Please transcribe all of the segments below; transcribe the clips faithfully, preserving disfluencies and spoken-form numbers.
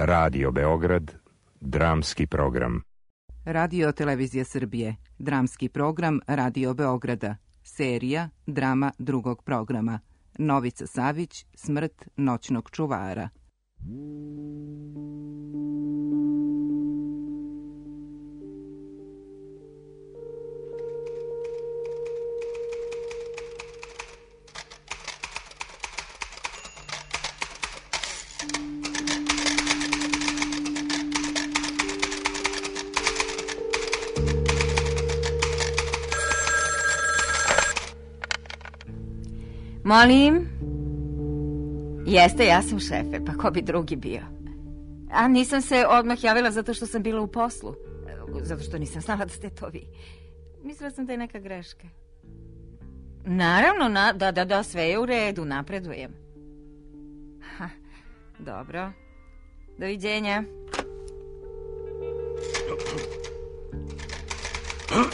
Radio Beograd, dramski program. Radio Televizija Srbije, dramski program Radio Beograda, serija Drama drugog programa. Novica Savić, Smrt noćnog čuvara. Molim? Jeste, ja sam šefe, pa ko bi drugi bio? A nisam se odmah javila zato što sam bila u poslu. Zato što nisam znala da ste to vi. Mislila sam da je neka greška. Naravno, na, da, da, da, sve je u redu, napredujem. Ha, dobro. Doviđenja.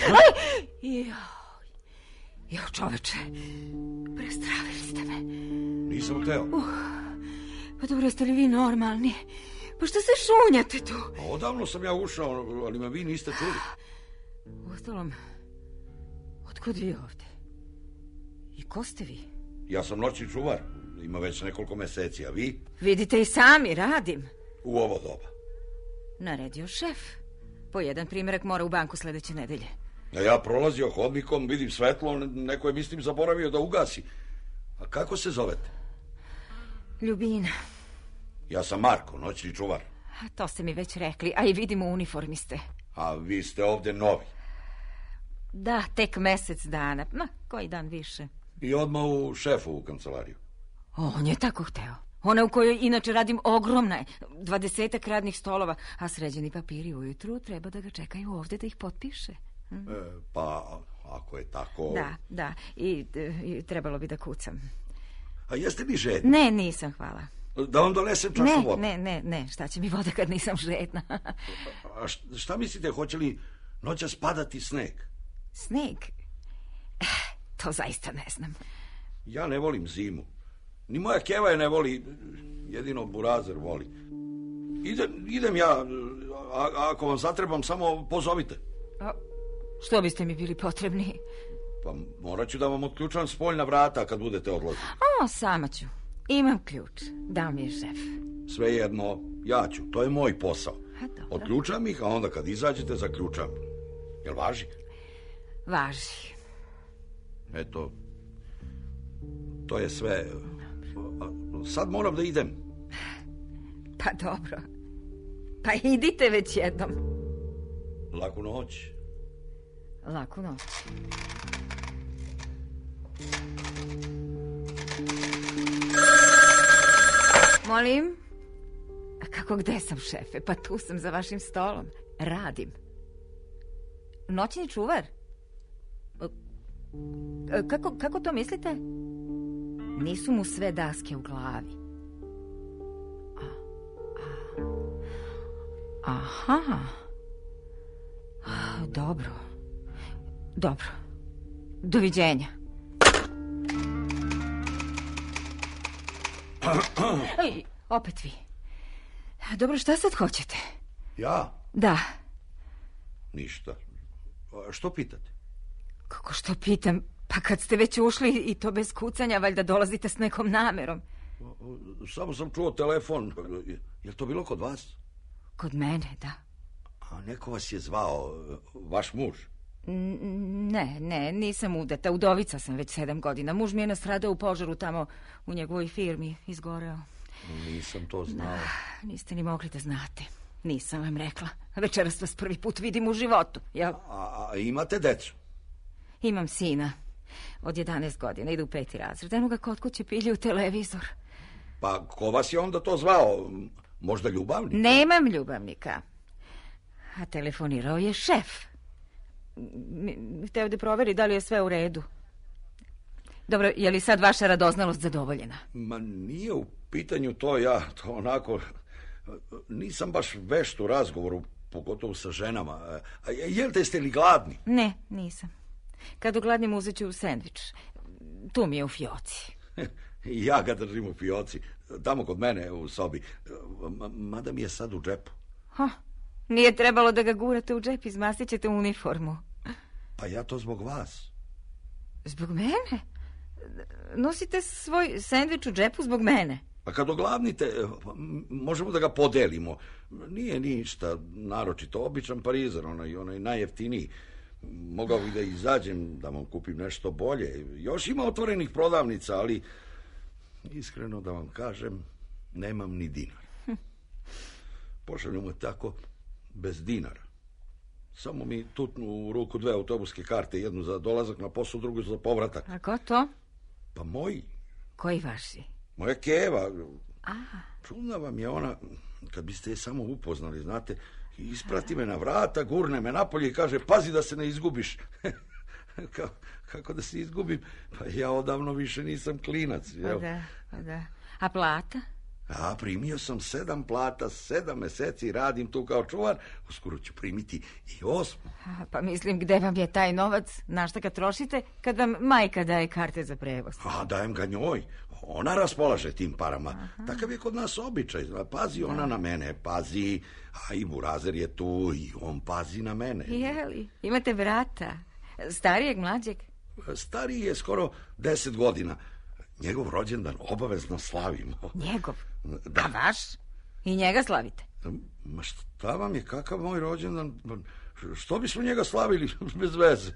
Aj! Joj, joj, čoveče. Prestravili ste me. Nisam hteo. Uh, pa dobro, jeste li vi normalni? Pa što se šunjate tu? Pa odavno sam ja ušao, ali me vi niste čuli. Uostalom, otkud vi ovde? I ko ste vi? Ja sam noćni čuvar. Ima već nekoliko meseci, a vi? Vidite i sami, radim. U ovo doba. Naredio šef. Po jedan primjerak mora u banku sledeće nedelje. A ja prolazio hodnikom, vidim svetlo, neko je, mislim, zaboravio da ugasi. A kako se zovete? Ljubina. Ja sam Marko, noćni čuvar. A to ste mi već rekli, a i vidim u uniformi ste. A vi ste ovde novi. Da, tek mesec dana, ma, koji dan više. I odmah u šefovu kancelariju. On je tako hteo. Ona u kojoj inače radim ogromna je, dvadesetak radnih stolova, a sređeni papiri ujutru treba da ga čekaju ovde da ih potpiše. Hm? E, pa, ako je tako... Da, da, i, i trebalo bi da kucam. A jeste vi žedni? Ne, nisam, hvala. Da vam donesem čašu vode? Ne, ne, ne, šta će mi voda kad nisam žedna? A šta mislite, hoće li noćas padati sneg? Sneg? To zaista ne znam. Ja ne volim zimu. Ni moja keva je ne voli, jedino Burazer voli. Idem, idem ja, a, ako vam zatrebam, samo pozovite. A što biste mi bili potrebni? Pa morat ću da vam otključam spoljna vrata kad budete odlazili. O, sama ću. Imam ključ. Dao mi je šef. Svejedno, ja ću. To je moj posao. A, dobro. Otključam ih, a onda kad izađete, zaključam. Jel važi? Važi. Eto, to je sve. Sad moram da idem. Pa dobro. Pa idite već jednom. Laku noć. Laku noć. Molim? A kako gde sam, šefe? Pa tu sam za vašim stolom. Radim. Noćni čuvar? Kako, kako to mislite? Nisu mu sve daske u glavi. A, a, aha. Dobro. Dobro. Doviđenja. Ej, opet vi. Dobro, šta sad hoćete? Ja? Da. Ništa. A što pitate? Kako što pitam? Pa kad ste već ušli i to bez kucanja, valjda dolazite s nekom namerom. Samo sam čuo telefon. Je li to bilo kod vas? Kod mene, da. A neko vas je zvao, vaš muž? Ne, ne, nisam udata. Udovica sam već sedam godina. Muž mi je nastradao u požaru tamo u njegovoj firmi, izgoreo. Nisam to znao. Da, niste ni mogli da znate. Nisam vam rekla. Večeras vas prvi put vidim u životu, jel? A, a imate decu? Imam sina. Od jedanaest godina, ide u peti razred. Eno ga kod kuće pilje u televizor. Pa ko vas je onda to zvao? Možda ljubavnik? Nemam ljubavnika. A telefonirao je šef. Hteo da proveri da li je sve u redu. Dobro, je li sad vaša radoznalost zadovoljena? Ma nije u pitanju to, ja to onako... Nisam baš vešt u razgovoru, pogotovo sa ženama. A jel te, ste li gladni? Ne, nisam. Kad ugladnim uzet ću sendvič. Tu mi je u fioci. Ja ga držim u fioci, tamo kod mene u sobi. Mada mi je sad u džepu. Ha, nije trebalo da ga gurate u džep, izmastit ćete uniformu. Pa ja to zbog vas. Zbog mene? Nosite svoj sendvič u džepu zbog mene? Pa kad oglavnite, možemo da ga podelimo. Nije ništa naročito, običan parizer, onaj, onaj najjeftiniji. Mogao bih da izađem, da vam kupim nešto bolje. Još ima otvorenih prodavnica, ali iskreno da vam kažem, nemam ni dinar. Pošaljemo tako bez dinara. Samo mi tutnu u ruku dve autobuske karte, jednu za dolazak na posao, drugu za povratak. A ko to? Pa moji. Koji vaši? Moja keva. A. Čudna vam je ona, kad biste je samo upoznali, znate, isprati me na vrata, gurne me napolje i kaže, pazi da se ne izgubiš. Ka, kako da se izgubim? Pa ja odavno više nisam klinac. Pa da, pa da. A plata? A primio sam sedam plata, sedam meseci radim tu kao čuvar, uskoro ću primiti i osmu. A, pa mislim, gde vam je taj novac? Na šta ga trošite kad vam majka daje karte za prevoz? A dajem ga njoj. Ona raspolaže tim parama. Aha. Takav je kod nas običaj. Pazi ona na mene, pazi. A i burazer je tu i on pazi na mene. Jeli, imate brata? Starijeg, mlađeg? Stariji je skoro deset godina. Njegov rođendan obavezno slavimo. Njegov? Da. A vaš? I njega slavite? Ma šta vam je, kakav moj rođendan? Što bismo njega slavili bez veze?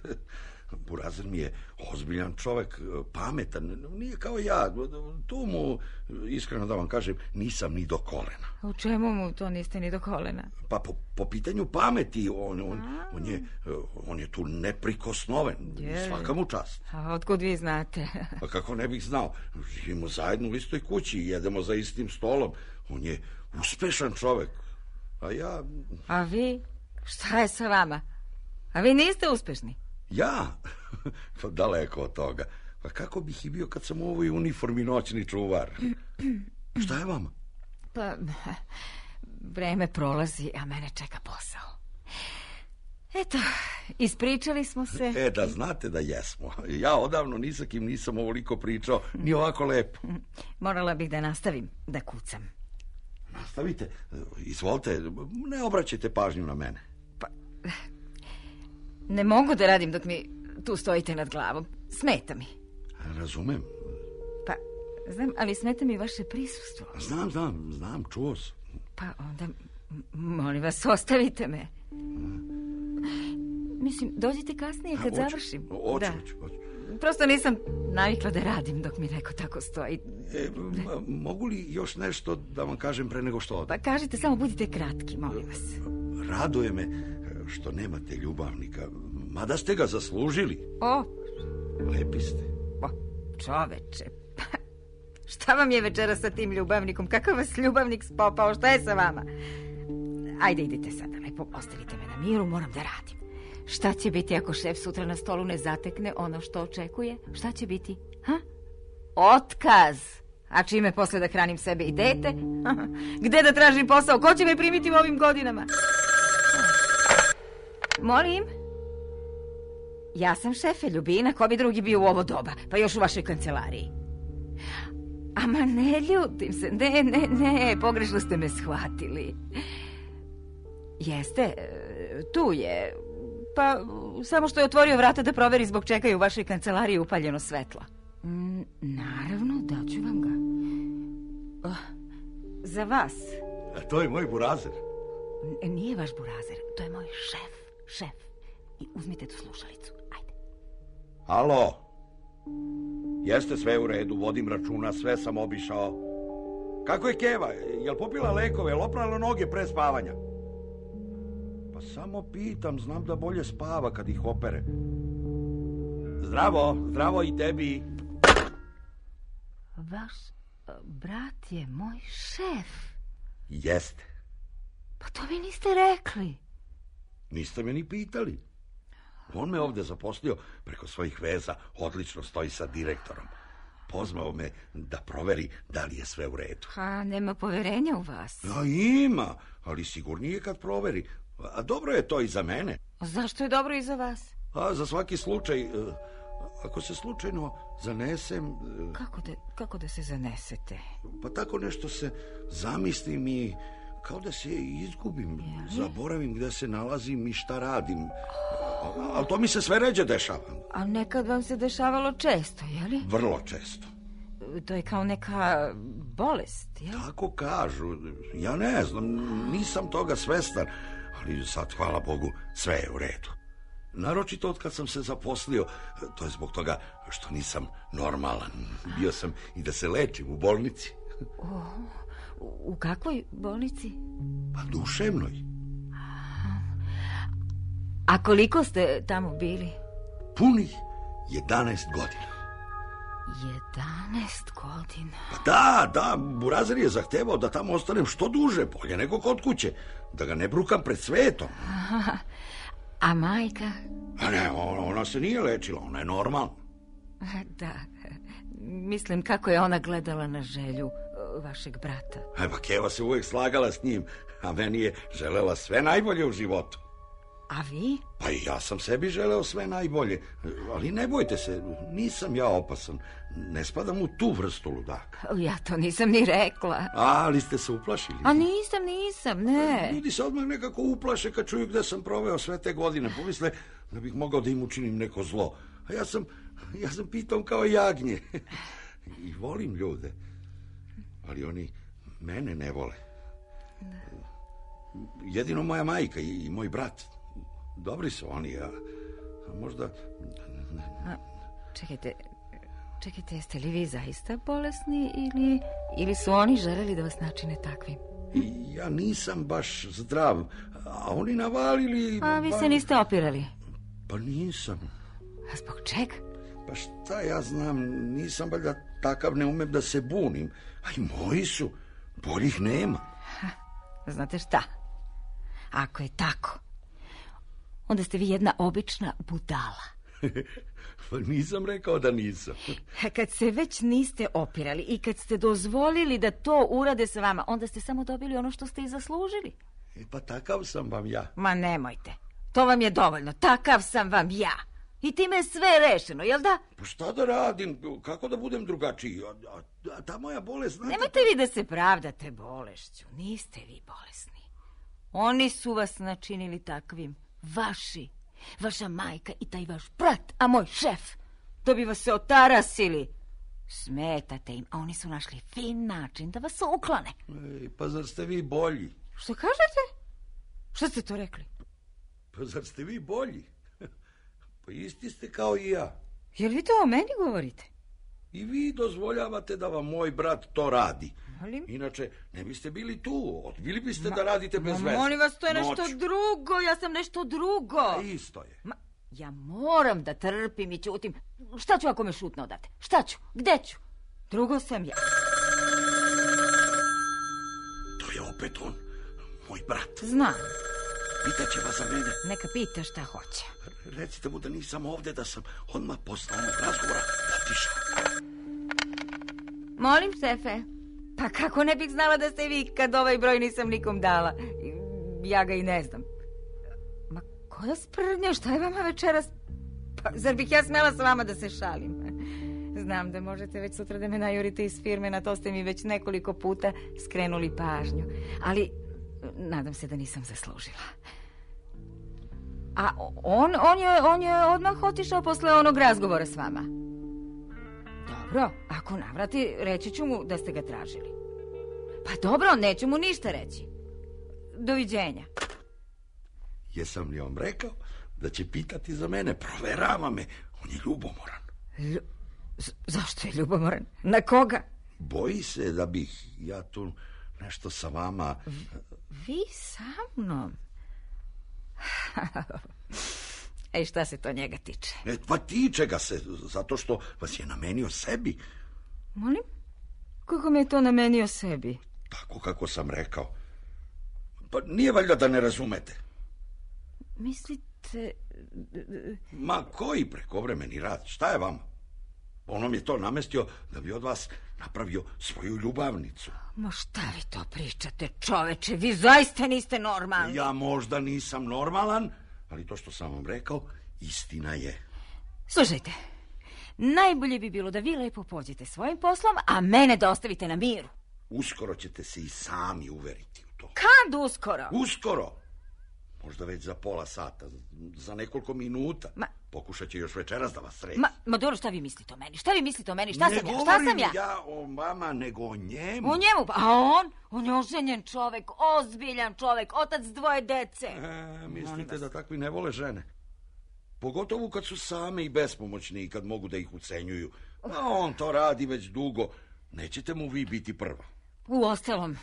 Burazer mi je ozbiljan čovek, pametan, nije kao ja. Tu mu, iskreno da vam kažem, nisam ni do kolena. U čemu mu to niste ni do kolena? Pa po, po pitanju pameti, on, on, on, je, on je tu neprikosnoven. Je. Svaka mu čast. A otkud vi znate? Pa kako ne bih znao? Živimo zajedno u istoj kući i jedemo za istim stolom. On je uspešan čovek. A ja... A vi? Šta je sa vama? A vi niste uspešni? Ja? Pa daleko od toga. Pa kako bih i bio kad sam u ovoj uniformi noćni čuvar? Šta je vama? Pa, vreme prolazi, a mene čeka posao. Eto, ispričali smo se. E, da znate da jesmo. Ja odavno ni sa kim nisam ovoliko pričao, ni ovako lepo. Morala bih da nastavim da kucam. Nastavite, izvolite, ne obraćajte pažnju na mene. Pa... Ne mogu da radim dok mi tu stojite nad glavom. Smeta mi. Razumem. Pa, znam, ali smeta mi vaše prisustvo. Znam, znam, znam, čuo sam. Pa onda, molim vas, ostavite me. Mislim, dođite kasnije kad oću, završim. Oću, da. oću, oću. Prosto nisam navikla da radim dok mi neko tako stoji. E, mogu li još nešto da vam kažem pre nego što odem? Pa kažite, samo budite kratki, molim vas. Raduje me što nemate ljubavnika, mada ste ga zaslužili. O! Lepi ste. O, čoveče, pa, šta vam je večera sa tim ljubavnikom? Kakav vas ljubavnik spopao? Šta je sa vama? Ajde, idite sada, lepo, ostavite me na miru, moram da radim. Šta će biti ako šef sutra na stolu ne zatekne ono što očekuje? Šta će biti? Ha? Otkaz! A čime posle da hranim sebe i dete? Gde da tražim posao? Ko će me primiti u ovim godinama? Molim? Ja sam šefe, Ljubina, ko bi drugi bio u ovo doba, pa još u vašoj kancelariji. Ama ne ljutim se, ne, ne, ne, pogrešno ste me shvatili. Jeste, tu je, pa samo što je otvorio vrata da proveri zbog čega je u vašoj kancelariji upaljeno svetlo. Mm, naravno, daću vam ga. Oh, za vas. A to je moj burazer. N- nije vaš burazer, to je moj šef, šef. I uzmite tu slušalicu, ajde. Alo, jeste sve u redu, vodim računa, sve sam obišao. Kako je Keva, jel popila lekove, jel oprala noge pre spavanja? Pa samo pitam, znam da bolje spava kad ih opere. Zdravo, zdravo i tebi. Vaš brat je moj šef. Jeste. Pa to vi niste rekli. Niste me ni pitali. On me ovde zaposlio preko svojih veza, odlično stoji sa direktorom. Pozvao me da proveri da li je sve u redu. A nema poverenja u vas? A ima, ali sigurnije kad proveri. A dobro je to i za mene. A zašto je dobro i za vas? A za svaki slučaj, ako se slučajno zanesem... Kako da, kako da se zanesete? Pa tako nešto se zamislim i kao da se izgubim. Ja. Zaboravim gde se nalazim i šta radim. Ali to mi se sve ređe dešava. A nekad vam se dešavalo često, je li? Vrlo često. To je kao neka bolest, je li? Tako kažu. Ja ne znam, nisam toga svestan. Ali sad, hvala Bogu, sve je u redu. Naročito od kad sam se zaposlio, to je zbog toga što nisam normalan. Bio sam i da se lečim u bolnici. O, u kakvoj bolnici? Pa duševnoj. A koliko ste tamo bili? Punih jedanaest godina. Jedanaest godina? Pa da, da, Burazer je zahtevao da tamo ostanem što duže, bolje nego kod kuće. Da ga ne brukam pred svetom. Aha. A majka? A ne, ona, ona se nije lečila, ona je normalna. Da, mislim kako je ona gledala na želju vašeg brata. E pa Keva se uvijek slagala s njim, a meni je želela sve najbolje u životu. A vi? Pa i ja sam sebi želeo sve najbolje, ali ne bojte se, nisam ja opasan, ne spadam u tu vrstu ludaka. Ja to nisam ni rekla. A, ali ste se uplašili? A nisam, nisam, ne. Ljudi se odmah nekako uplaše kad čuju gde sam proveo sve te godine, pomisle da bih mogao da im učinim neko zlo. A ja sam, ja sam pitom kao jagnje. I volim ljude, ali oni mene ne vole. Jedino moja majka i, i moj brat. Dobri su oni, a, a možda... A, čekajte, čekajte, jeste li vi zaista bolesni ili, ili su oni želeli da vas načine takvim? I ja nisam baš zdrav, a oni navalili... A vi ba... se niste opirali? Pa nisam. A zbog čega? Pa šta ja znam, nisam valjda takav, ne umem da se bunim. A i moji su, boljih nema. Ha, znate šta? Ako je tako, onda ste vi jedna obična budala. Pa nisam rekao da nisam. Kad se već niste opirali i kad ste dozvolili da to urade sa vama, onda ste samo dobili ono što ste i zaslužili. E pa takav sam vam ja. Ma nemojte, to vam je dovoljno, takav sam vam ja. I time je sve rešeno, jel da? Pa šta da radim, kako da budem drugačiji? A, a, a ta moja bolest... Znate... Nemojte vi da se pravdate bolešću, niste vi bolesni. Oni su vas načinili takvim, vaši, vaša majka i taj vaš brat, a moj šef, da bi vas se otarasili. Smetate im, a oni su našli fin način da vas uklone. Ej, pa zar ste vi bolji? Što kažete? Što ste to rekli? Pa zar ste vi bolji? Pa isti ste kao i ja. Jel vi to o meni govorite? I vi dozvoljavate da vam moj brat to radi. Ali... Inače, ne biste bili tu. Odbili biste ma, da radite bez veze. Molim vas, to je nešto Noć. drugo. Ja sam nešto drugo. A isto je. Ma, ja moram da trpim i ćutim. Šta ću ako me šutno odate? Šta ću? Gde ću? Drugo sam ja. To je opet on, moj brat. Znam. Pitaće vas za mene. Neka pita šta hoće. Recite mu da nisam ovde, da sam odmah posle onog razgovora otišao. Molim, šefe. Pa kako ne bih znala da ste vi kad ovaj broj nisam nikom dala? Ja ga i ne znam. Ma koja sprdnja, šta je vama večeras? Pa zar bih ja smela sa vama da se šalim? Znam da možete već sutra da me najurite iz firme, na to ste mi već nekoliko puta skrenuli pažnju. Ali nadam se da nisam zaslužila. A on, on, je, on je odmah otišao posle onog razgovora s vama. Dobro, ako navrati, reći ću mu da ste ga tražili. Pa dobro, neću mu ništa reći. Doviđenja. Jesam li vam rekao da će pitati za mene? Proverava me, on je ljubomoran. Lju... Zašto je ljubomoran? Na koga? Boji se da bih ja tu nešto sa vama... V, vi sa mnom? Ej, šta se to njega tiče? E, pa tiče ga se, zato što vas je namenio sebi. Molim? Kako me je to namenio sebi? Tako kako sam rekao. Pa nije valjda da ne razumete. Mislite... Ma koji prekovremeni rad, šta je vama? On vam je to namestio da bi od vas napravio svoju ljubavnicu. Ma šta vi to pričate, čoveče? Vi zaista niste normalni. Ja možda nisam normalan, ali to što sam vam rekao, istina je. Slušajte, najbolje bi bilo da vi lepo pođete svojim poslom, a mene da ostavite na miru. Uskoro ćete se i sami uveriti u to. Kad uskoro? Uskoro. Možda već za pola sata, za nekoliko minuta. Ma, pokušat će još večeras da vas sreći. Ma, ma dobro, šta vi mislite o meni? Šta vi mislite o meni? Šta ne sam ja? Šta sam ja? Ne govorim ja o vama, nego o njemu. O njemu? A on? On je oženjen čovek, ozbiljan čovek, otac dvoje dece. E, mislite da takvi ne vole žene? Pogotovo kad su same i bespomoćni i kad mogu da ih ucenjuju. A on to radi već dugo. Nećete mu vi biti prva. Uostalom,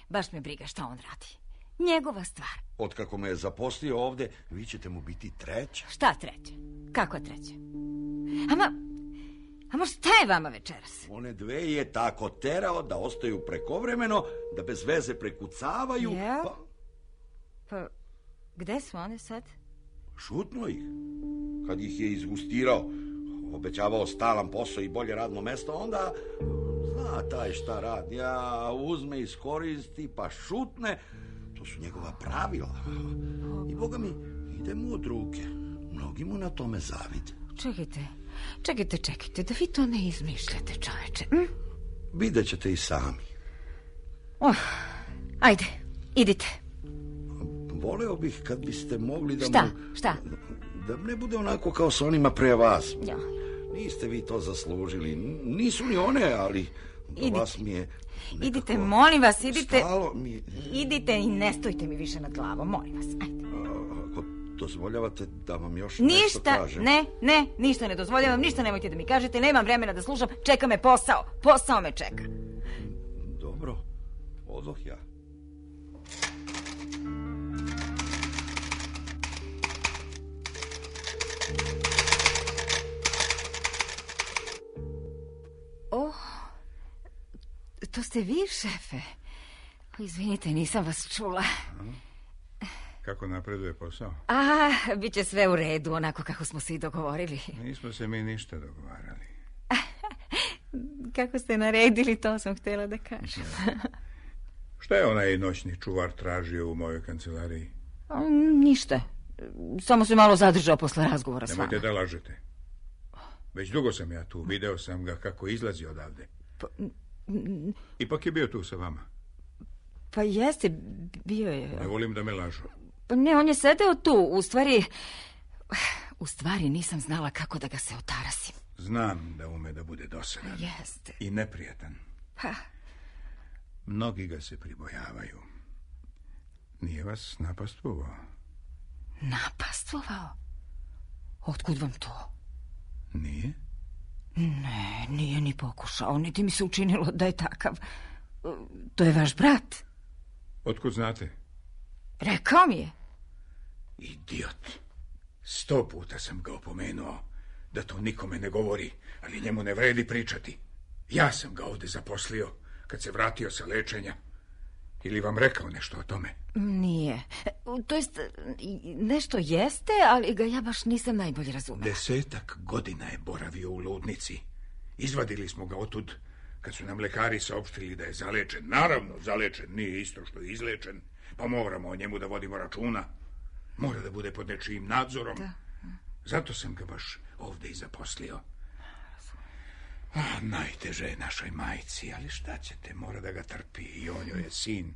baš me briga šta on radi. Njegova stvar. Otkako me je zaposlio ovde, vi ćete mu biti treća. Šta treća? Kako treća? Ama, ama šta je vama večeras? One dve je tako terao da ostaju prekovremeno, da bez veze prekucavaju. Ja? Pa... pa, gde su one sad? Šutno ih. Kad ih je izgustirao, obećavao stalan posao i bolje radno mesto, onda zna taj šta radi. Ja uzme, iskoristi, pa šutne. To su njegova pravila. I boga mi, ide mu od ruke. Mnogi mu na tome zavide. Čekajte, čekajte, čekajte, da vi to ne izmišljate, čoveče. Hm? Vidjet ćete i sami. Oh, ajde, idite. Voleo bih kad biste mogli da šta, mu... Šta? Da ne bude onako kao sa onima pre vas. Ja. Niste vi to zaslužili. Nisu ni one, ali do idite. Vas mi je nekako... Idite, molim vas, idite. Stalo mi... Idite i ne stojite mi više nad glavom, molim vas, ajde. A, ako dozvoljavate da vam još ništa, nešto kažem... ne, ne, ništa ne dozvoljavam, ništa nemojte da mi kažete, nemam vremena da slušam, čeka me posao, posao me čeka. Dobro, odoh ja. Oh, to ste vi, šefe. Izvinite, nisam vas čula. Kako napreduje posao? A, bit će sve u redu, onako kako smo se i dogovorili. Nismo se mi ništa dogovarali. Kako ste naredili, to sam htjela da kažem. Šta je onaj noćni čuvar tražio u mojoj kancelariji? A, ništa. Samo se malo zadržao posle razgovora s vama. Nemojte da lažete. Već dugo sam ja tu, video sam ga kako izlazi odavde. Pa, Ipak je bio tu sa vama. Pa jeste, bio je. Ne volim da me lažu. Pa ne, on je sedeo tu, u stvari... U stvari nisam znala kako da ga se otarasim. Znam da ume da bude dosadan. Jeste. I neprijatan. Pa. Mnogi ga se pribojavaju. Nije vas napastvovao? Napastvovao? Otkud vam to? Nije? Ne, nije ni pokušao, niti mi se učinilo da je takav. To je vaš brat. Otkud znate? Rekao mi je. Idiot. Sto puta sam ga opomenuo da to nikome ne govori, ali njemu ne vredi pričati. Ja sam ga ovde zaposlio kad se vratio sa lečenja. Ili vam rekao nešto o tome? Nije. To jest, nešto jeste, ali ga ja baš nisam najbolje razumela. Desetak godina je boravio u ludnici. Izvadili smo ga otud kad su nam lekari saopštili da je zalečen. Naravno, zalečen nije isto što je izlečen, pa moramo o njemu da vodimo računa. Mora da bude pod nečijim nadzorom. Da. Zato sam ga baš ovde i zaposlio. Ah, najteže je našoj majci, ali šta ćete, mora da ga trpi i on joj je sin.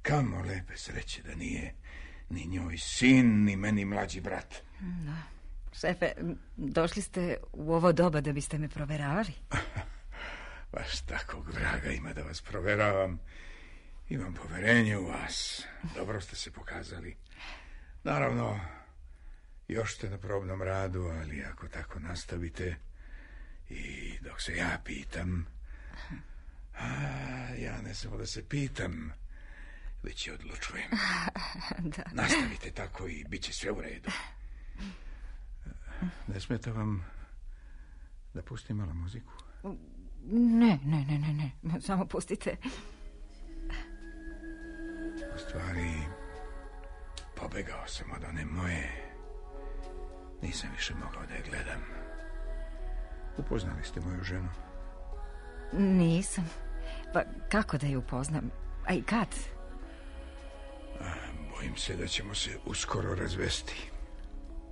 Kamo lepe sreće da nije ni njoj sin, ni meni mlađi brat. Da. Šefe, došli ste u ovo doba da biste me proveravali? Baš takvog vraga ima da vas proveravam. Imam poverenje u vas. Dobro ste se pokazali. Naravno, još ste na probnom radu, ali ako tako nastavite i dok se ja pitam, a ja ne samo da se pitam, već i odlučujem. Da. Nastavite tako i bit će sve u redu. Ne smeta vam da pustim malo muziku? Ne, ne, ne, ne, ne. Samo pustite. U stvari, pobegao sam od one moje. Nisam više mogao da je gledam. Upoznali ste moju ženu? Nisam. Pa kako da je upoznam? A i kad? A, bojim se da ćemo se uskoro razvesti.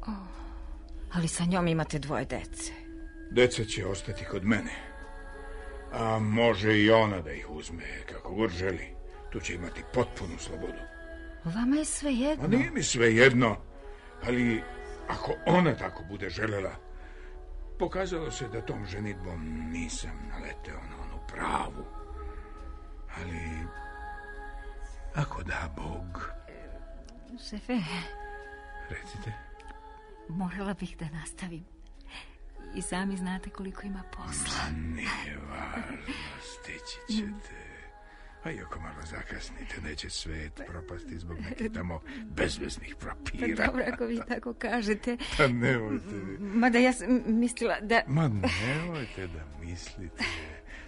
Oh, ali sa njom imate dvoje dece. Deca će ostati kod mene. A može i ona da ih uzme kako god želi. Tu će imati potpunu slobodu. Vama je sve jedno. A nije mi sve jedno, ali ako ona tako bude želela, pokazalo se da tom ženitbom nisam naleteo na onu pravu. Ali ako da Bog... Šefe... Recite. Morala bih da nastavim. I sami znate koliko ima posla. Ma nije važno, stići ćete. A i ako malo zakasnite, neće svet propasti zbog nekih tamo bezveznih papira. Pa dobro, ako vi tako kažete. Pa nemojte vi. Mada ja sam mislila da... Ma nemojte da mislite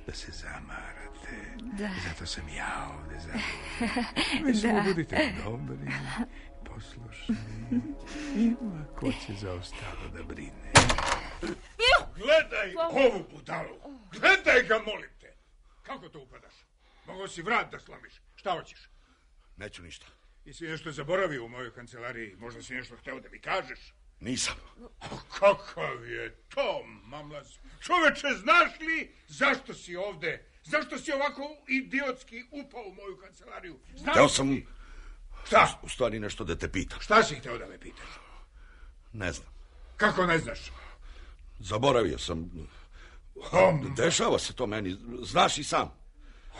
da se zamarate. Da. Zato sam ja ovde za vi. Vi samo budite dobri, poslušni. Ima ko će za ostalo da brine. Gledaj ovu budalu. Gledaj ga, molim te. Kako to upadaš? Mogu si vrat da slomiš. Šta hoćeš? Neću ništa. Jesi nešto zaboravio u mojoj kancelariji? Možda si nešto hteo da mi kažeš? Nisam. A kakav je to, mamlaz? Čoveče, znaš li zašto si ovde? Zašto si ovako idiotski upao u moju kancelariju? Znaš Hteo sam... Šta? U stvari nešto da te pitam. Šta si hteo da me pitaš? Ne znam. Kako ne znaš? Zaboravio sam. Um. Dešava se to meni. Znaš i sam.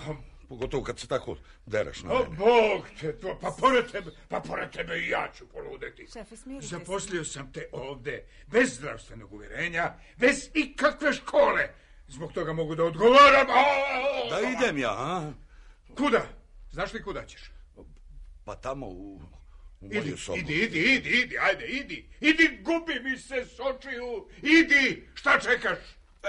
Um. Pogotovo kad se tako dereš na O, mene. Bog te to, pa pored tebe, pa pored tebe i ja ću poludeti. Šefe, smirite se. Zaposlio sam te ovde, bez zdravstvenog uvjerenja, bez ikakve škole. Zbog toga mogu da odgovaram. Da idem ja, a? Kuda? Znaš li kuda ćeš? Pa tamo u, u moju Idi, sobu. idi, idi, idi, idi, ajde, idi. Idi, gubi mi se s očiju. Idi, šta čekaš?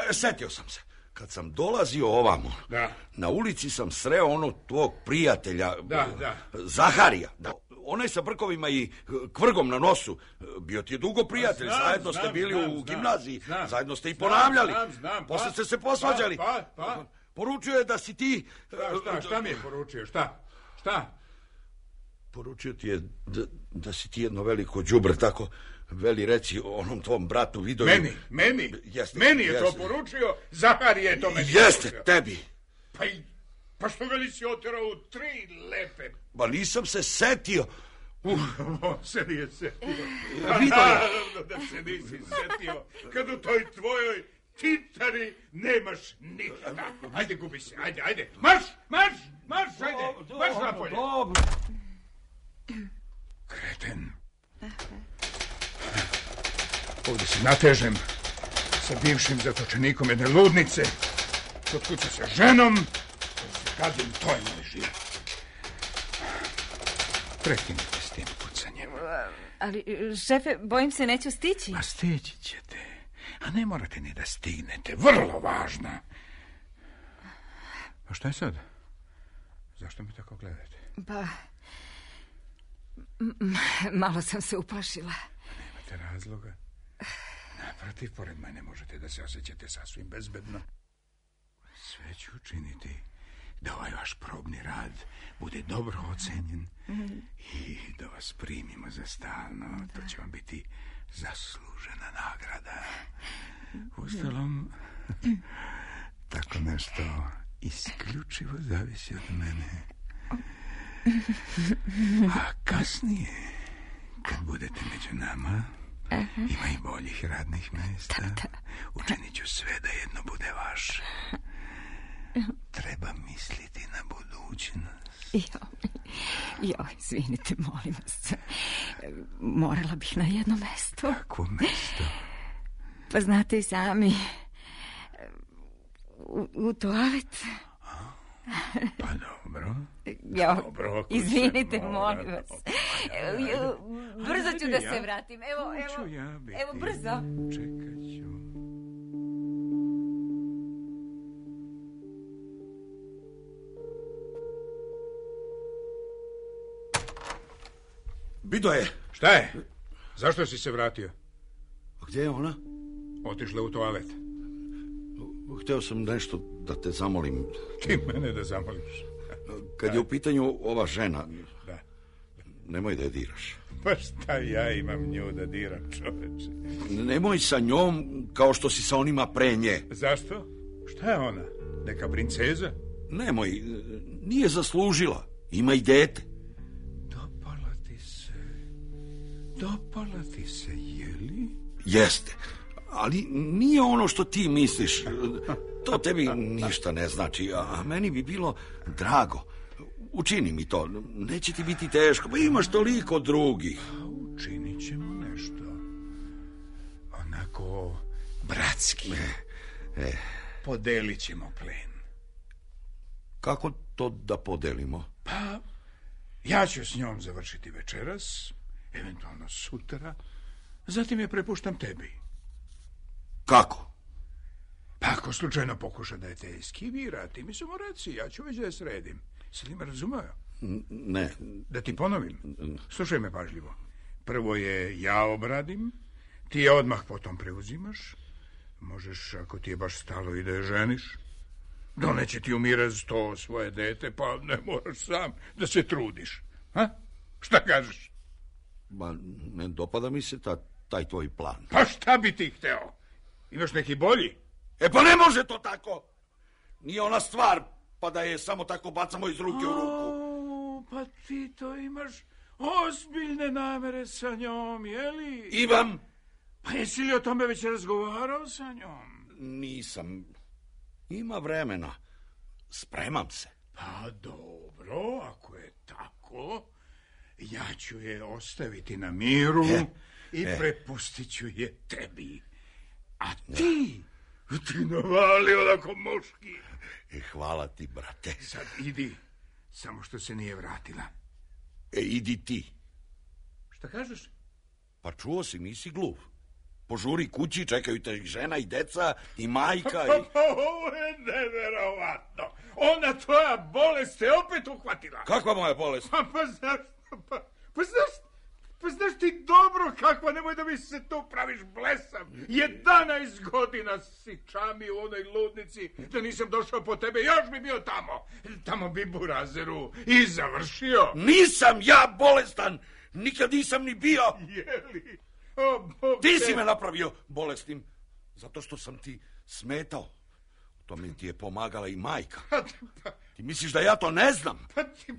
E, setio sam se. Kad sam dolazio ovamo, Da. na ulici sam sreo onog tvog prijatelja, Da, da. Zaharija. Da. Onaj sa brkovima i kvrgom na nosu. Bio ti je dugo prijatelj, Znam, zajedno ste znam, bili znam, u znam, gimnaziji, znam. zajedno ste i Znam, ponavljali. znam, znam, pa, Posle ste se posvađali. Pa, pa, pa. Poručio je da si ti... Šta, šta, šta mi je poručio, šta? Šta? Poručio ti je da, da si ti jedno veliko đubre, tako veli reci onom tvom bratu Vidoju. Meni, meni, Jeste, meni je jeste. to poručio, Zahar je to meni Jeste, poručio. tebi. Pa, i, pa što ga nisi oterao u tri lepe? Ba nisam se setio. Uh, On se nije setio. Vidoje. Naravno da se nisi setio, kad u toj tvojoj titari nemaš ništa. Ajde, gubi se, ajde, ajde. Marš, marš, marš, ajde, marš napolje. Dobro. Kreten. Ovdje se natežem sa bivšim zatočenikom jedne ludnice. Kod kuće sa ženom. Se kadim, to je moj život. Prekinite s tim pucanjem. Ali, šefe, bojim se neću stići. A stići ćete. A ne morate ni da stignete. Vrlo važna. A šta je sad? Zašto mi tako gledate? Pa... m- Malo sam se uplašila. Nemate razloga. Naprotiv, pored mene možete da se osjećate sasvim bezbedno. Sve ću učiniti da ovaj vaš probni rad bude dobro ocenjen i da vas primimo za stalno. To će vam biti zaslužena nagrada. Ustalom, tako nešto isključivo zavisi od mene. A kasnije, kad budete među nama, ima i boljih radnih mjesta. Učinit ću sve da jedno bude vaše. Treba misliti na budućnost. Jo, jo, izvinite, molim vas. Morala bih na jedno mesto. Kakvo mesto? Pa znate i sami, u, u toalet. Pa dobro. Jo, Dobro, ako izvinite, se mora. molim vas. Jo, brzo ću da se vratim. Evo, Tu ću evo, ja biti. evo, brzo. Čekat ću. Vidoje. Šta je? Zašto si se vratio? A gdje je ona? Otišla u toalet. Hteo sam nešto da te zamolim. Ti mene da zamoliš. Kad je u pitanju ova žena, Da. nemoj da je diraš. Pa šta ja imam nju da diram, čoveče? Nemoj sa njom kao što si sa onima pre nje. Zašto? Šta je ona? Neka princeza? Nemoj, nije zaslužila. Ima i dete. Dopala ti se. Dopala ti se, jeli? Jeste, ali nije ono što ti misliš. To tebi ništa ne znači, a meni bi bilo drago. Učini mi to, neće ti biti teško, pa imaš toliko drugih. Učinit ćemo nešto. Onako bratski. E, e. Podelit ćemo plen. Kako to da podelimo? Pa, ja ću s njom završiti večeras, eventualno sutra, zatim je prepuštam tebi. Kako? Pa ako slučajno pokuša da je te eskivira, ti mi samo reci, ja ću već da je sredim. Si li me razumeo? Ne. Da ti ponovim? Slušaj me pažljivo. Prvo je ja obradim, ti je odmah potom preuzimaš. Možeš, ako ti je baš stalo, i da je ženiš. Doneće ti u miraz to svoje dete, pa ne moraš sam da se trudiš. Ha? Šta kažeš? Ba, ne dopada mi se ta, taj tvoj plan. Pa šta bi ti hteo? Imaš neki bolji? E pa ne može to tako. Nije ona stvar, pa da je samo tako bacamo iz ruke u ruku. O, pa ti to imaš ozbiljne namere sa njom, jeli? Imam. Pa jesi li o tome već razgovarao sa njom? Nisam. Ima vremena. Spremam se. Pa dobro, ako je tako, ja ću je ostaviti na miru e, i e. prepustit ću je tebi. A ti, ti navali onako muški. E, hvala ti, brate. Sad idi, samo što se nije vratila. E, idi ti. Šta kažeš? Pa čuo si, nisi glup. Požuri kući, čekaju te žena i deca i majka i... Ovo je neverovatno. Ona tvoja bolest te opet uhvatila. Kakva moja bolest? Pa, pa znaš, pa, pa znaš, pa znaš ti dobro kakva, nemoj da mi se tu praviš blesav. Jedanaest godina si čami u onoj ludnici, da nisam došao po tebe, još bi bio tamo. Tamo bi burazeru i završio. Nisam ja bolestan, nikad nisam ni bio. Jeli? O, Bog ti te... si me napravio bolesnim, zato što sam ti smetao. U tome ti je pomagala i majka. Pa, pa, ti misliš da ja to ne znam? Pa ti,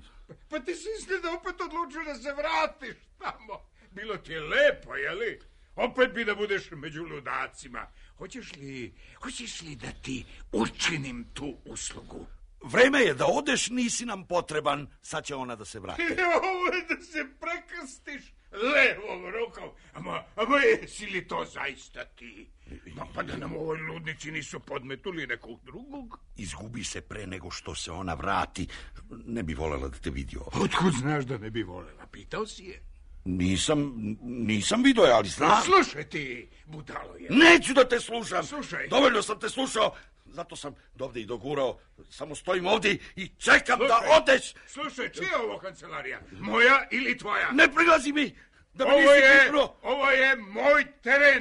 pa ti si izgleda opet odlučio da se vratiš tamo. Bilo ti je lepo, jeli? Opet bi da budeš među ludacima. Hoćeš li, hoćeš li da ti učinim tu uslugu? Vreme je da odeš, nisi nam potreban. Sad će ona da se vrati. Ovo je da se prekrstiš levom rukom. Ama, ama jesi li to zaista ti? Ma pa da nam u ovoj ludnici nisu podmetuli nekog drugog? Izgubi se pre nego što se ona vrati. Ne bi volela da te vidi ovdje. Otkud znaš da ne bi volela? Pitao si je? Nisam, nisam vidio je, ali znam. Slušaj ti, budalo je. Neću da te slušam. Slušaj. Dovoljno sam te slušao. Zato sam dovde i dogurao. Samo stojim ovdje i čekam slušaj, da odeš. Slušaj, čija je ovo kancelarija? Moja ili tvoja? Ne prilazi mi. Da mi ovo, je, pripro. ovo je moj teren.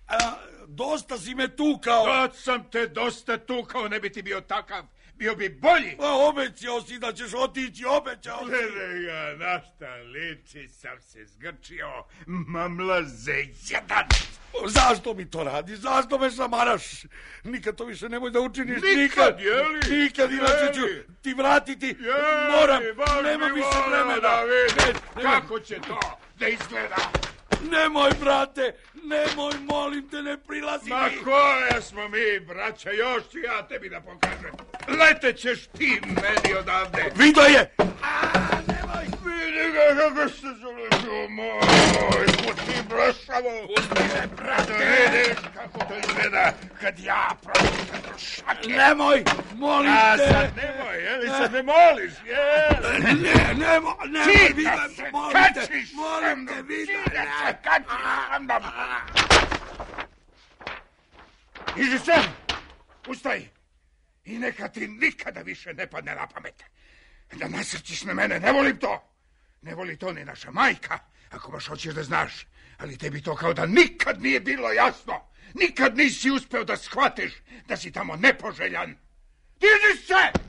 A, dosta si me tukao. Da sam te dosta tukao, ne bi ti bio takav. Bio bi bolji. Pa obećao si da ćeš otići, obećao si. Gledaj ga, na šta liči, sam se zgrčio. Mamlaze jedan. Zašto mi to radiš? Zašto me šamaraš? Nikad to više nemoj da učiniš. Nikad, nikad jeli? Nikad, inače ću ti vratiti. Jeli, moram, nema više vremena. Da vidim kako će to da izgleda. Nemoj, brate, nemoj, molim te, ne prilazi Ma mi. koja smo mi, braća, još ću ja tebi da pokažem. Letećeš ti meni odavde. Vido je! A, nemoj! Vidi ga kako se zaletio, moj, pusti brašavo. Pusti me, brate. Vidiš kako to izgleda kad ja pročitam trošake. Nemoj, molim A, te. A sad nemoj, jeli, sad ne moliš, jel? Ne, ne, nemoj, nemoj, Ti Vida, da se molim kačiš te, molim te, Vida. Ti da se kačiš sa mnom. Iži se, ustaj. I neka ti nikada više ne padne na pamet. Da nasrćiš na mene, ne volim to. Ne voli to ni naša majka, ako baš hoćeš da znaš. Ali tebi to kao da nikad nije bilo jasno. Nikad nisi uspeo da shvatiš da si tamo nepoželjan. Diži se!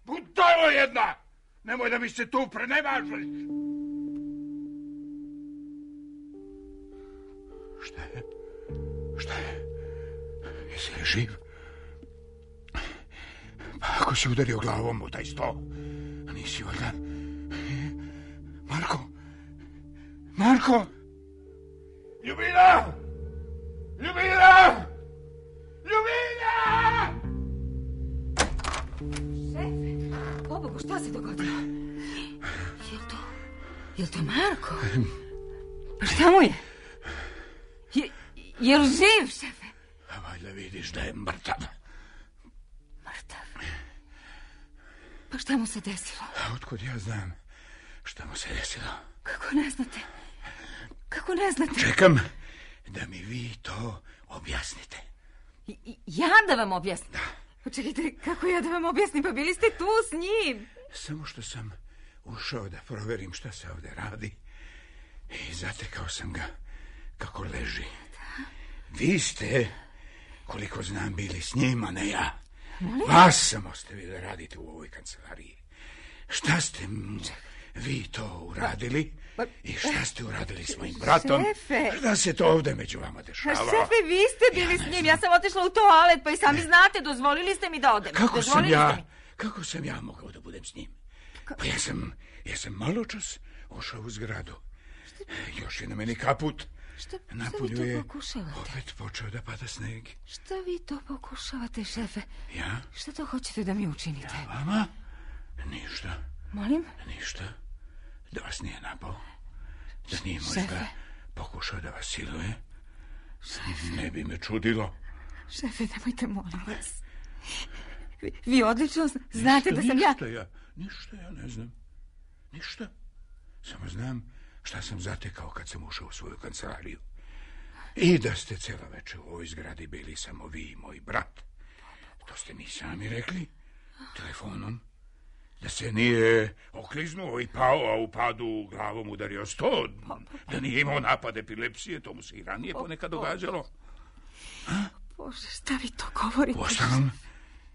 Budalo jedna! Nemoj da mi se tu prenemažeš. Šta je? Šta je? Jesi li živ? Pa ako si udario glavom u taj sto, nisi valjda... Marko! Marko! Ljubina! Ljubina! Ljubina! Šefe, pobogu, šta se dogodilo? Jel to... Jel to Marko? Pa šta mu je? Je, jel živ, šefe? A valjda vidiš da je mrtav. Mrtav? Pa šta mu se desilo? A otkud ja znam šta mu se desilo? Kako ne znate? Kako ne znate? Čekam da mi vi to objasnite. I, ja da vam objasnim? Da. Pa čekajte, kako ja da vam objasnim? Pa bili ste tu s njim. Samo što sam ušao da proverim šta se ovde radi i zatekao sam ga kako leži. Da. Vi ste, koliko znam, bili s njim, a ne ja. Molim? Vas sam ostavio da radite u ovoj kancelariji. Šta ste vi to uradili? Pa, pa, I šta ste uradili s mojim bratom? Šefe! Šta se to ovde među vama dešava? Šefe, vi ste bili ja s njim. Znam. Ja sam otišla u toalet, pa i sami znate, dozvolili ste mi da odem. Kako dozvolili sam ja, kako sam ja mogao da budem s njim? Ka... Pa ja sam, ja sam malo čas ušao u zgradu. Šta... Još je na meni kaput. Šta, šta vi to pokušavate? Opet počeo da pada sneg. Šta vi to pokušavate, šefe? Ja? Šta to hoćete da mi učinite? Ja vama? Ništa. Molim? Ništa. Da vas nije napao. Da nije možda pokušao da vas siluje. Šefe. Ne bi me čudilo. Šefe, nemojte, molim vas. Vi, vi odlično znate ništa, da sam ništa ja... ja... Ništa ja ne znam. Ništa. Samo znam šta sam zatekao kad sam ušao u svoju kancelariju. I da ste cijela večer u ovoj zgradi bili samo vi i moj brat. To ste mi sami rekli telefonom. Da se nije okliznuo i pao, a u padu glavom udario sto. Da nije imao napad epilepsije, to mu se i ranije ponekad događalo. A? Bože, šta vi to govorite? Uostalom,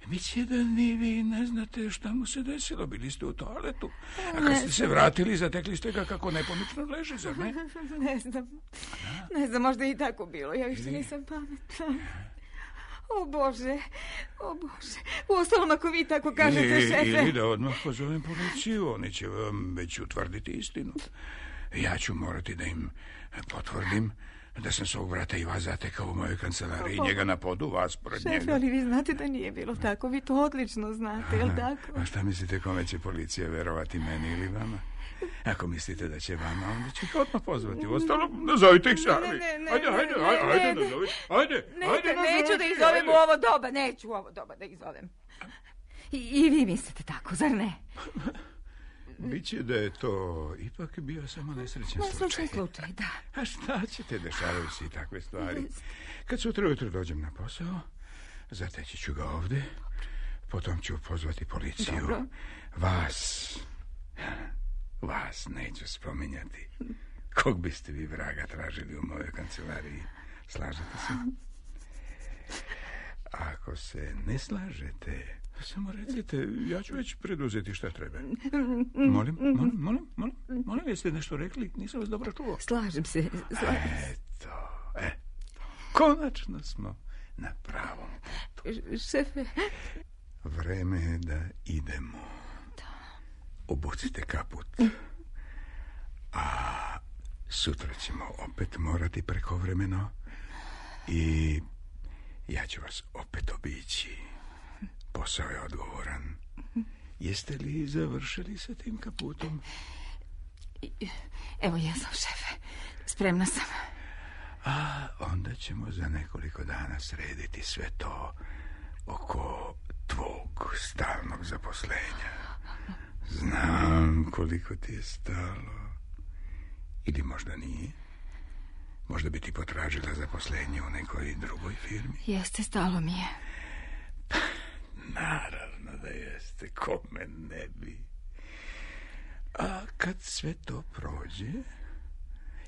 misli da ni vi ne znate šta mu se desilo. Bili ste u toaletu. A kad ste se vratili, zatekli ste ga kako nepomično leži, zar ne? Ne znam. Ne znam, možda i tako bilo. Ja više nisam pametna. O Bože, o Bože. Uostalom, ako vi tako kažete, ili, šefe... Ili da odmah pozovem policiju, oni će vam već utvrditi istinu. Ja ću morati da im potvrdim da sam svog brata i vas zatekao u mojoj kancelariji, njega na podu, vas pored šefe, njega. Šefe, ali vi znate da nije bilo tako, vi to odlično znate, je li tako? A šta mislite, kome će policija verovati, meni ili vama? Ako mislite da će vama, onda će ih odmah pozvati. Uostalom, nazovite ih sami. Ne, ne, ne, ajde, ajde, ne, ajde, ajde, ne, nazovite. Ajde, ne, ajde, ne, nazovite. neću da ih zovem u ovo doba, neću u ovo doba da ih zovem. I, i vi mislite tako, zar ne? Biće da je to ipak bio samo nesrećan slučaj. Nesrećan slučaj, da. A šta ćete, dešavaju se i takve stvari. Kad sutra ujutro dođem na posao, zateći ću ga ovde, potom ću pozvati policiju. Dobro. Vas, vas neću spominjati. Kog biste vi vraga tražili u mojoj kancelariji? Slažete se? Ako se ne slažete, samo recite, ja ću već preduzeti šta treba. Molim, molim, molim, molim, molim, jeste nešto rekli? Nisam vas dobro čuo. Slažem se, slažem se. Eto, eto, konačno smo na pravom putu. Šefe. Vreme je da idemo. Da. Obucite kaput. A sutra ćemo opet morati prekovremeno i ja ću vas opet obići. Posao je odgovoran. Jeste li završili sa tim kaputom? Evo ja sam, šefe. Spremna sam. A onda ćemo za nekoliko dana srediti sve to oko tvog stalnog zaposlenja. Znam koliko ti je stalo. Ili možda nije. Možda bi ti potražila zaposlenje u nekoj drugoj firmi. Jeste, stalo mi je. Naravno da jeste, kome ne bi. A kad sve to prođe,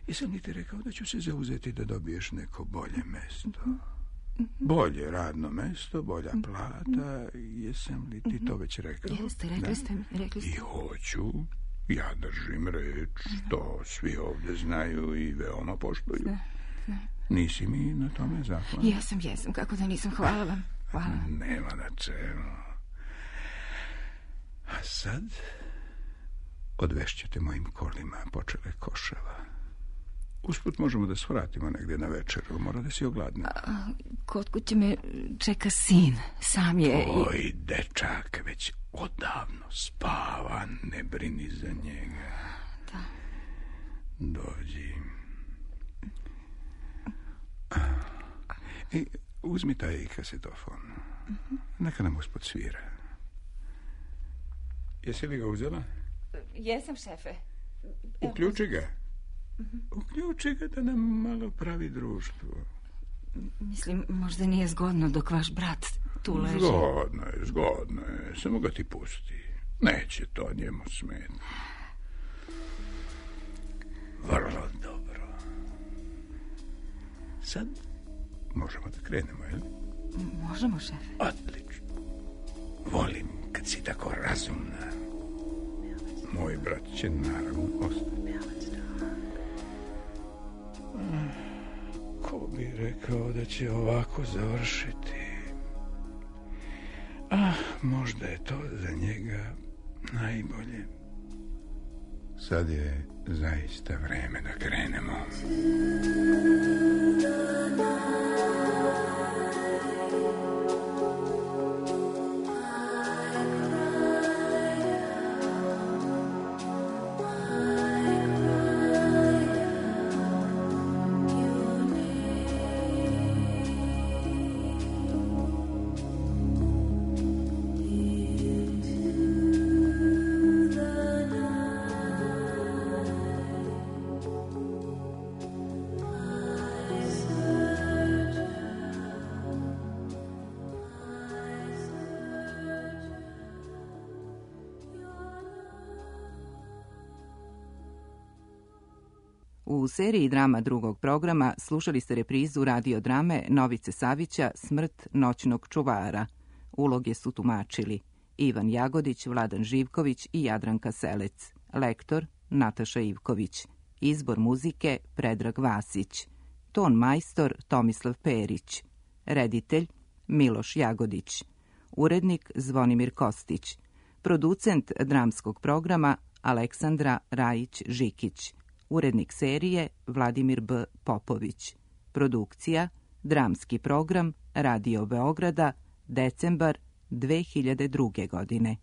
jesam li ti rekao da ću se zauzeti da dobiješ neko bolje mesto? Bolje radno mesto, bolja plata, jesam li ti to već rekao? Jeste, rekli ste mi, rekli ste. I hoću, ja držim reč, to svi ovde znaju i veoma poštuju. Nisi mi na tome zahvalna? Jesam, jesam, kako da nisam, hvala vam. Hvala. Nema na čemu. A sad odvešćete mojim kolima počele Koševa. Usput možemo da svratimo negdje na večeru. Mora da si ogladna. A, kod kuće me čeka sin. Sam je... Oj, dečak, već odavno spava. Ne brini za njega. Da. Dođi. I uzmi taj kasetofon. Uh-huh. Neka nam usput svira. Jesi li ga uzela? Jesam, šefe. Uključi ga. Uključi ga da nam malo pravi društvo. Mislim, možda nije zgodno dok vaš brat tu leži. Zgodno je, zgodno je. Samo ga ti pusti. Neće to njemu smeti. Vrlo dobro. Sad možemo da krenemo, jel? Možemo, šefe. Odlično. Volim kad si tako razumna. Moj brat će naravno ostati. Ko bi rekao da će ovako završiti? Ah, možda je to za njega najbolje. Sad je zaista vreme da krenemo. U seriji drama drugog programa slušali ste reprizu radiodrame Novice Savića Smrt noćnog čuvara. Uloge su tumačili Ivan Jagodić, Vladan Živković i Jadranka Selec. Lektor Nataša Ivković. Izbor muzike Predrag Vasić. Ton majstor Tomislav Perić. Reditelj Miloš Jagodić. Urednik Zvonimir Kostić. Producent dramskog programa Aleksandra Rajić-Žikić. Urednik serije Vladimir B. Popović. Produkcija Dramski program Radio Beograda, decembar dve hiljade druge. godine.